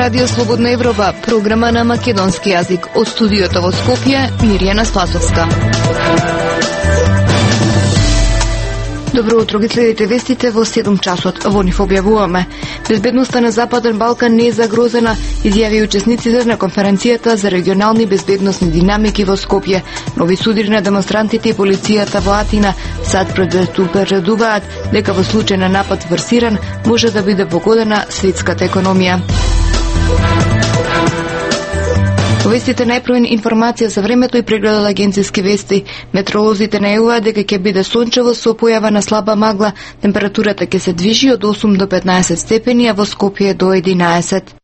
Радио Слободна Европа, програма на македонски јазик. Од студиото во Скопје, Мирјана Спасовска. Добро утро, ги следите вестите во 7 часот. Во нив објавуваме: безбедноста на Западен Балкан не е загрозена, изјави учесниците на конференцијата за регионални безбедносни динамики во Скопје. Нови судири на демонстрантите и полицијата во Атина сад предупредуваат дека во случај на напад врз Иран може да биде погодена светската економија. Вестите најпровен информација за времето и прегледот агенцијски вести. Метеоролозите најавуваат дека ќе биде сончево со појава на слаба магла. Температурата ќе се движи од 8 до 15 степени, а во Скопје до 11.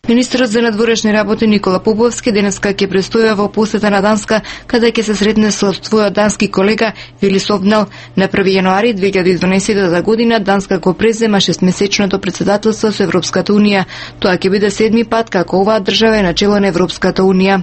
Министерот за надворешни работи Никола Поповски денеска ќе престоја во посета на Данска, каде ќе се сретне со својот дански колега Вили Совнел. На 1 јануари 2012 година Данска го презема 6-месечното председателство со Европската унија. Тоа ќе биде 7ми пат како оваа држава е на чело на Европската унија.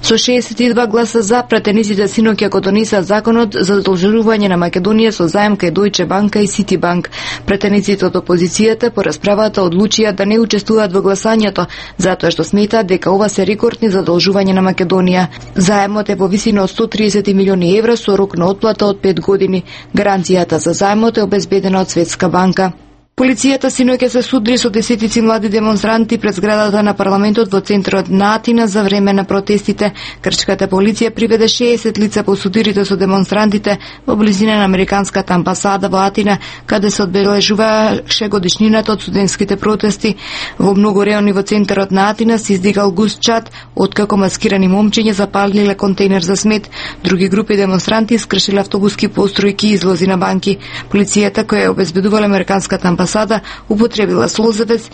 Со 62 гласа за, пратениците синоќа го донесаа законот за задолжување на Македонија со заем кај Дојче банка и Ситибанк. Пратениците од опозицијата по расправата одлучија да не учествуваат во гласањето, затоа што сметаат дека ова се рекордни задолжувања на Македонија. Заемот е по висина од 130 милиони евра со рок на отплата од 5 години. Гаранцијата за заемот е обезбедена од Светска банка. Полицијата синоќа се судри со десетици млади демонстранти пред зградата на парламентот во центарот на Атина за време на протестите. Грчката полиција приведе 60 лица по судирите со демонстрантите во близина на американската амбасада во Атина, каде се одбележуваше годишнината од студентските протести. Во многу реони во центарот на Атина се издигал густ чад, откако маскирани момчиња запалиле контейнер за смет. Други групи демонстранти искршиле автобуски постројки и излози на банки. Полицијата, која ја обезбедувала американската амбасада, употребила слозевец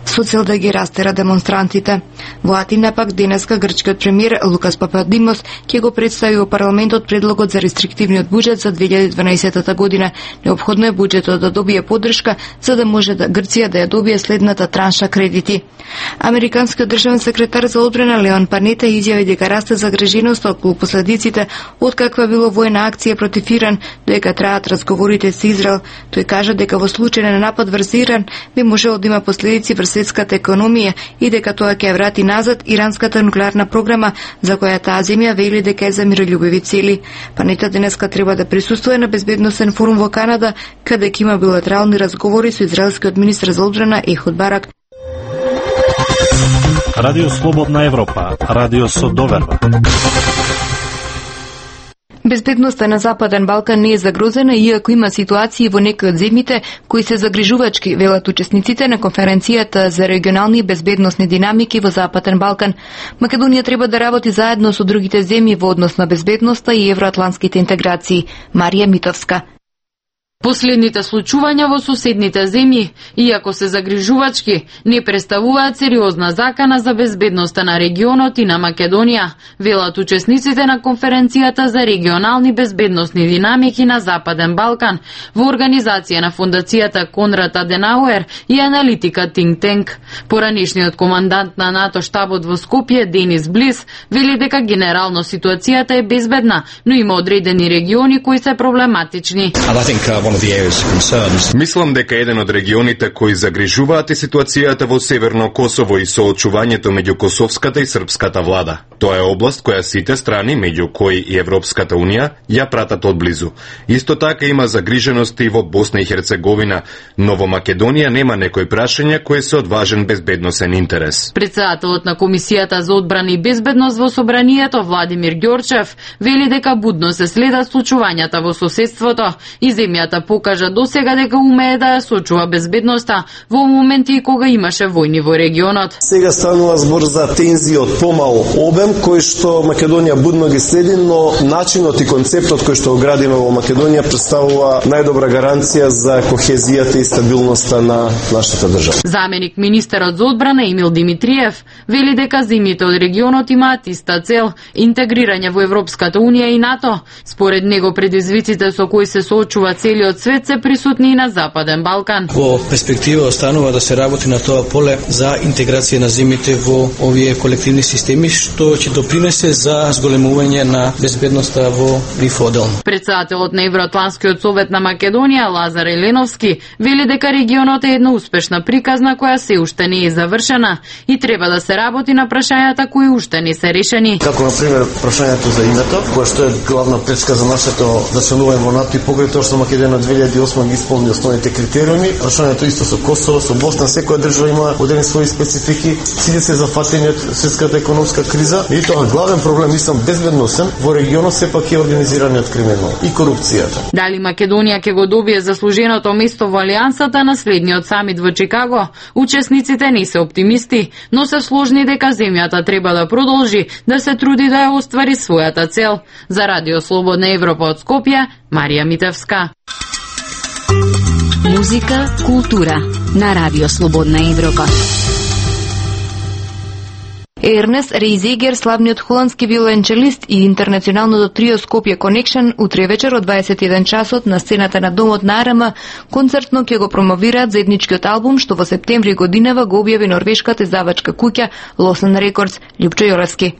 со цел да ги растера демонстрантите. Во Атина пак денеска грчкиот премиер Лукас Пападимос ќе го представи во парламентот предлогот за рестриктивниот буџет за 2012 година. Неопходно е буџетот да добие поддршка за да може Грција да ја добие следната транша кредити. Американскиот државен секретар за одбрана Леон Панета изјави дека расте загриженоста околу последиците од каква било војна акција против Иран, дека траат разговорите со Израел. Тој кажа дека во случај на напад врз Иран би можело да има последици врз светската економија и дека тоа ќе врати назад иранската нуклеарна програма, за која таа земја вели дека е за мирољубиви цели. Панета денеска треба да присуствува на безбедносен форум во Канада, каде ќе има билатерални разговори со израелскиот министер за одбрана Ехуд Барак. Радио Слободна Европа, радио со доверба. Безбедноста на Западен Балкан не е загрозена, иако има ситуации во некои од земјите кои се загрижувачки, велат учесниците на конференцијата за регионални безбедносни динамики во Западен Балкан. Македонија треба да работи заедно со другите земји во однос на безбедноста и евроатлантските интеграции. Марија Митовска. Последните случувања во соседните земји, иако се загрижувачки, не представуваат сериозна закана за безбедноста на регионот и на Македонија, велат учесниците на конференцијата за регионални безбедносни динамики на Западен Балкан во организација на фондацијата Конрад Аденауер и аналитика Think Tank. Поранешниот командант на НАТО штабот во Скопје, Денис Блис, вели дека генерално ситуацијата е безбедна, но има одредени региони кои се проблематични. Мислам дека еден од регионите кои загрижуваат е ситуацијата во Северно Косово и соочувањето меѓу косовската и српската влада. Тоа е област која сите страни, меѓу кои и Европската унија, ја пратат одблизу. Исто така има загрижености и во Босна и Херцеговина, но во Македонија нема некои прашања кои се од важен безбедносен интерес. Председателот на Комисијата за одбрана и безбедност во Собранието Владимир Ѓорчев вели дека будно се следат случувањата во соседството и земјата покажа досега дека умее да ја сочува безбедноста во моменти кога имаше војни во регионот. Сега станува збор за тензија од помал обем кој што Македонија будно ги следи, но начинот и концептот кој што го градиме во Македонија представува најдобра гаранција за кохезијата и стабилноста на нашата држава. Заменик министерот за одбрана Емил Димитриев вели дека земјите од регионот имаат иста цел – интегрирање во Европската унија и НАТО. Според него предизвиците со кои се соочува целиот целиот свет се присутни и на Западен Балкан. Во перспектива останува да се работи на тоа поле за интеграција на земјите во овие колективни системи, што ќе допринесе за зголемување на безбедноста во нив одделно. Председателот на Евроатлантскиот совет на Македонија Лазар Еленовски вели дека регионот е една успешна приказна која се уште не е завршена и треба да се работи на прашањата кои уште не се решени. Како на пример прашањето за името, кое што е главна пречка за нашето да членување во НАТО и покрај тоа што Македонија 2008 ги исполни основните критериуми, прашањето исто со Косово, со Босна, секоја држава има одредени свои специфики, сите се зафатени од светската економска криза и тоа главен проблем мислам безбедносен во регионот сепак е организираниот криминал и корупцијата. Дали Македонија ќе го добие заслуженото место во алијансата на следниот самит во Чикаго? Учесниците не се оптимисти, но се сложни дека земјата треба да продолжи да се труди да ја оствари својата цел. За Радио Слободна Европа од Скопје, Марија Митевска. Музика, култура на Радио Слободна Европа. Ернест Рейзегер, славниот холандски виолончелист и интернационалното трио Скопје Connection, утре вечер од 21 часот на сцената на Домот на Арама концертно ќе го промовираат заедничкиот албум што во септември годинава го објави норвешката издавачка куќа Losson Records. Љупчо Јолевски.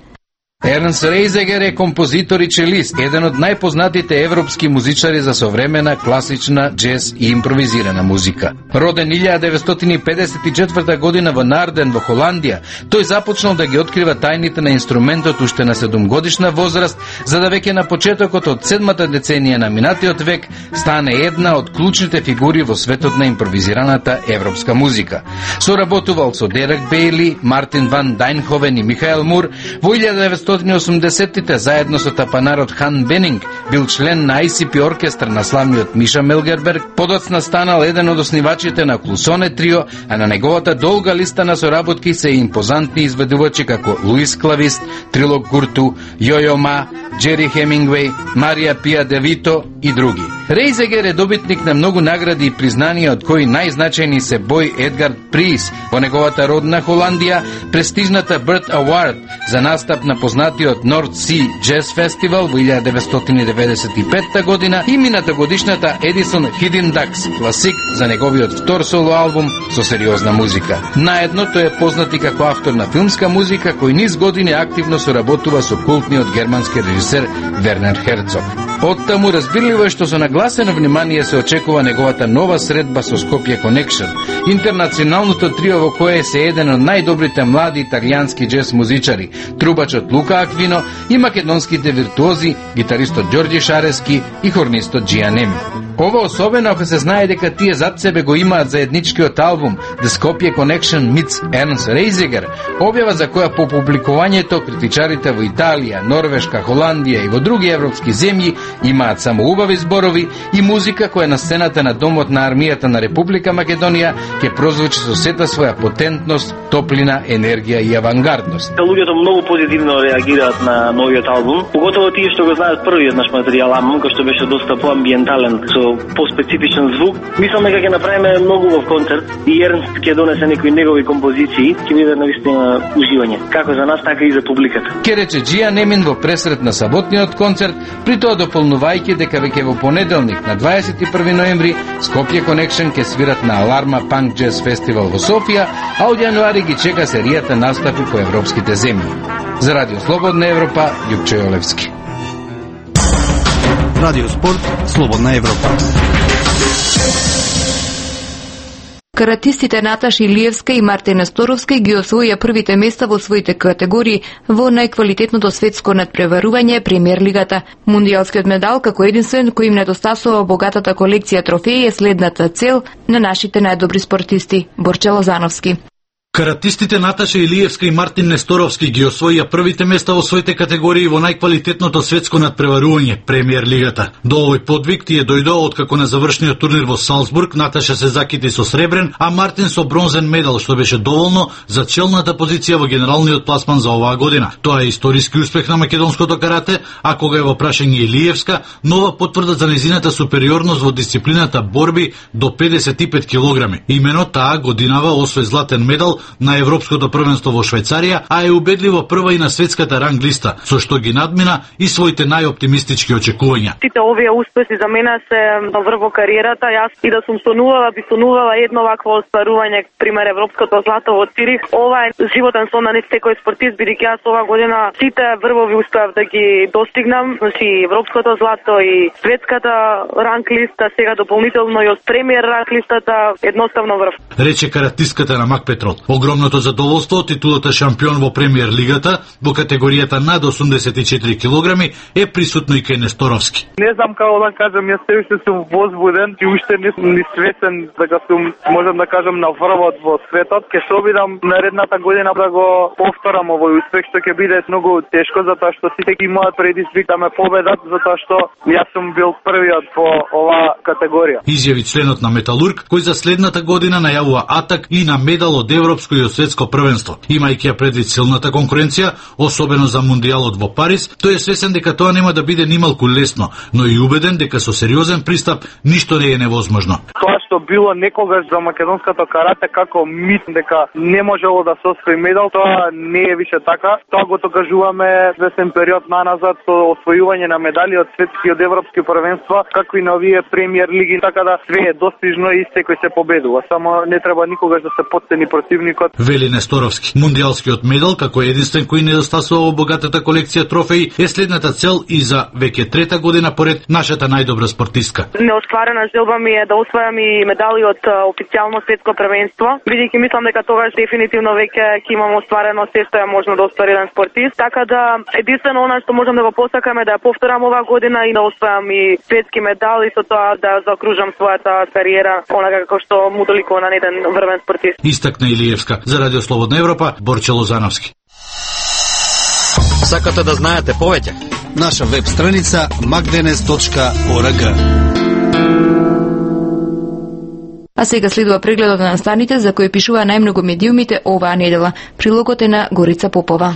Ернст Рейзегер е композитор и челист, еден од најпознатите европски музичари за современа, класична, джез и импровизирана музика. Роден 1954 година во Нарден во Холандија, тој започнал да ги открива тајните на инструментот уште на 7-годишна возраст, за да веќе на почетокот од 7-та деценија на минатиот век стане една од клучните фигури во светот на импровизираната европска музика. Соработувал со Дерек Бейли, Мартин ван Дайнховен и Михаел Мур. Во 1980-тите заедно со тапанарот Хан Бенинг бил член на ICP оркестар на славниот Миша Мелгерберг, подоцна станал еден од основачите на Клусоне трио, а на неговата долга листа на соработки се импозантни изведувачи како Луис Клавист, Трилок Гурту, Јојо Ма, Джери Хемингвеј, Марија Пија Девито и други. Рейзегер е добитник на многу награди и признанија, од кои најзначајни се Бој Едгард Приз во неговата родна Холандија, престижната Bird Award за настап на познатиот North Sea Jazz Festival во 1995 година и мината годишната Edison Hidden Ducks класик за неговиот втор соло албум со сериозна музика. Наедно тој е познат и како автор на филмска музика, кој низ години активно соработува со култниот германски режисер Вернер Херцог. Оттаму разбирливо е што со нагласено внимание се очекува неговата нова средба со Скопје Connection, интернационалното трио во кое се еден од најдобрите млади италијански джез музичари, трубачот Лука Аквино и македонските виртуози, гитаристот Ѓорѓи Шарески и хорнистот Џија Неми. Ова особено ако се знае дека тие зад себе го имаат заедничкиот албум The Skopje Connection meets Ernst Reisiger, објава за која по публикувањето критичарите во Италија, Норвешка, Холандија и во други европски земји имаат само убави зборови и музика која на сцената на Домот на армијата на Република Македонија ќе прозвучи со сета своја потентност, топлина, енергија и авангардност. Луѓето многу позитивно реагираат на новиот албум, поготово тие што го знаат првиот наш материјал, кој што беше доста поамбиентален, со поспецифичен звук. Мислам дека ќе направиме многу во концерт и Ернст ќе донесе некои негови композиции, ќе биде навистина уживање, како за нас, така и за публиката. Ке рече Џија Немин во пресрет на саботниот концерт, при тоа дополнувајќи дека веќе во понеделник на 21 ноември Skopje Connection ќе свират на Аларма Punk Jazz Festival во Софија, а од јануари ги чека серијата настапи по европските земји. За Радио Слободна Европа, Љупчо Јолевски. Радио Спорт, Слободна Европа. Каратистите Наташа Илиевска и Мартина Сторовска ги освоија првите места во своите категории во најквалитетното светско надпреварување Премиер лигата. Мундијалскиот медал како единствен кој им недостасува богатата колекција трофеи е следната цел на нашите најдобри спортисти. Борче Лозановски. Каратистите Наташа Илиевска и Мартин Несторовски ги освоија првите места во своите категории во најквалитетното светско надпреварување Премиер лигата. До овој подвиг тие дојдоа откако на завршниот турнир во Салцбург Наташа се закити со сребрен, а Мартин со бронзен медал, што беше доволно за челната позиција во генералниот пласман за оваа година. Тоа е историски успех на македонското карате, а кога е во прашање Илиевска, нова потврда за незината супериорност во дисциплината борби до 55 килограми. Имено таа годинава освои златен медал на Европското првенство во Швајцарија, а е убедливо прва и на светската ранг листа, со што ги надмина и своите најоптимистички очекувања. Сите овие успеси за мене се врв во кариерата. Јас и да сум би сонувала едно вакво остварување, пример европското злато во Цирих. Ова е животен сон на секој спортист, бидејќи јас ова година сите врвови успеав да ги достигнам, значи европското злато и светската ранг листа, сега дополнително и од премиер ранг листата, едноставно врв. Рече каратистката на Мак Петрол. Огромното задоволство од титулата шампион во премиер лигата во категоријата над 84 килограми е присутно и кај Несторовски. Не знам како да кажам, јас се уште сум возбуден и уште не сум ни свесен дека сум, можам да кажам, на врвот во светот. Ке се обидам наредната година да го повторам овој успех, што ќе биде многу тешко, затоа што сите ги имаат предизвик да ме победат, затоа што јас сум бил првиот во оваа категорија. Изјави членот на Металург, кој за следната година најавува атак и на медал од европско и од светско првенство. Имајќи ја предвид силната конкуренција, особено за мундијалот во Париз, тој е свесен дека тоа нема да биде нималку лесно, но и убеден дека со сериозен пристап ништо не е невозможно. Тоа што било некогаш за македонското карате како мит дека не можело да се освои медал, тоа не е више така. Тоа го докажуваме известен период наназад со освојување на медали од светски и од европски првенства, како и на овие премиер лиги, така да све е достижно и секој се победува. Само не треба никогаш да се потцени противникот. Вели Несторовски. Мундијалскиот медал, како единствен кој недостасува во богатата колекција трофеи, е следната цел и за веќе трета година поред нашата најдобра спортистка. Неостварена желба ми е да освојам и медали од официјално светско првенство, бидејќи мислам дека тогаш дефинитивно веќе ќе имам остварено се што е можно да оствари еден спортист, така да единствено она што можам да го посакам е да ја повторам оваа година и да освојам и светски медал и со тоа да заокружам својата кариера онака како што му доликува на еден врвен спортист. Истакна Илиевска за Радио Слободна Европа, Борче Лозановски. Сакате да знаете повеќе? Наша веб страница magdenes.org. А сега следува прегледот на настаните за кои пишува најмногу медиумите оваа недела. Прилогот е на Горица Попова.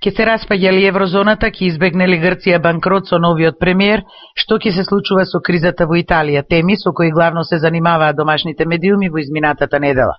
Ке се распаѓа ли еврозоната, ке избегне ли Грција банкрот со новиот премиер, што ќе се случува со кризата во Италија, теми со кои главно се занимаваат домашните медиуми во изминатата недела.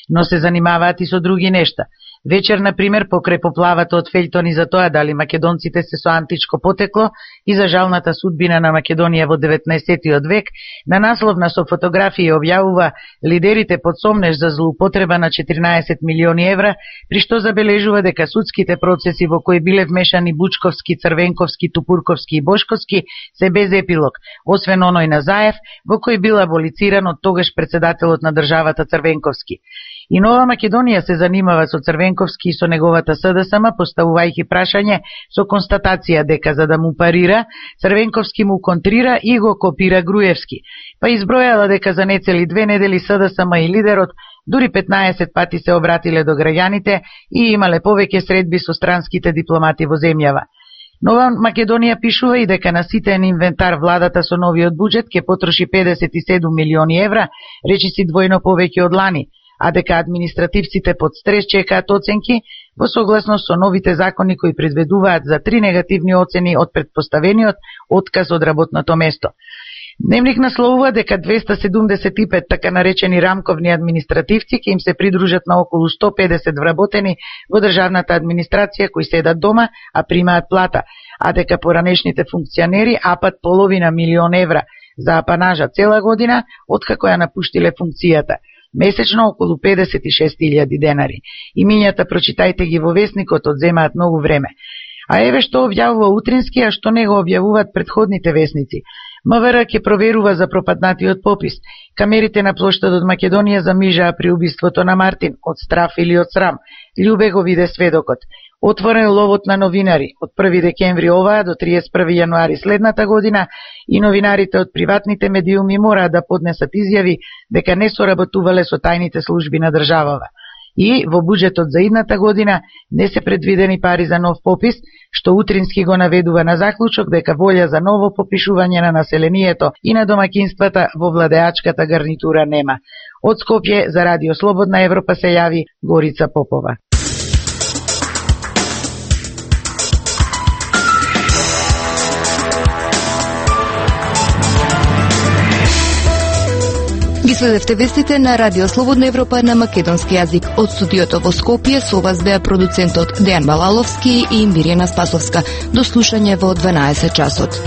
Но се занимаваат и со други нешта. Вечер, например, покрај поплавата од фејтони за тоа дали македонците се со античко потекло и за жалната судбина на Македонија во 19. век, на насловна со фотографии објавува лидерите под сомнеж за злоупотреба на 14 милиони евра, при што забележува дека судските процеси во кои биле вмешани Бучковски, Црвенковски, Тупурковски и Бошковски се без епилог, освен оној на Заев, во кој бил аболициран од тогаш председателот на државата Црвенковски. И Нова Македонија се занимава со Црвенковски и со неговата СДСМ, поставувајќи прашање со констатација дека за да му парира, Црвенковски му контрира и го копира Груевски. Па избројала дека за нецели 2 недели СДСМ и лидерот дури 15 пати се обратиле до граѓаните и имале повеќе средби со странските дипломати во земјава. Нова Македонија пишува и дека на ситен инвентар владата со новиот буџет ќе потроши 57 милиони евра, речиси двојно повеќе од лани, а дека административците под стрес чекаат оценки во согласност со новите закони кои предвидуваат за 3 негативни оцени од предпоставениот отказ од работното место. Дневник насловува дека 275 така наречени рамковни административци ќе им се придружат на околу 150 вработени во државната администрација кои седат дома, а примаат плата, а дека поранешните функционери апат половина милион евра за апанажа цела година откако ја напуштиле функцијата. Месечно околу 56.000 денари. Имињата прочитајте ги во весникот, одземаат многу време. А еве што објавува Утрински, а што не го објавуваат предходните весници. МВР ќе проверува за пропаднатиот попис. Камерите на плоштадот Македонија замижаа при убиството на Мартин, од страф или од срам. Љубе го виде сведокот. Отворен ловот на новинари од 1 декември оваа до 31 јануари следната година и новинарите од приватните медиуми мораат да поднесат изјави дека не соработувале со тајните служби на државава. И во буџетот за идната година не се предвидени пари за нов попис, што Утрински го наведува на заклучок дека волја за ново попишување на населението и на домакинствата во владеачката гарнитура нема. Од Скопје за Радио Слободна Европа се јави Горица Попова. Ги Следевте вестите на Радио Слободна Европа на македонски јазик. Од студиото во Скопје со вас беа продуцентот Дејан Балаловски и Мирјана Спасовска. До слушање во 12 часот.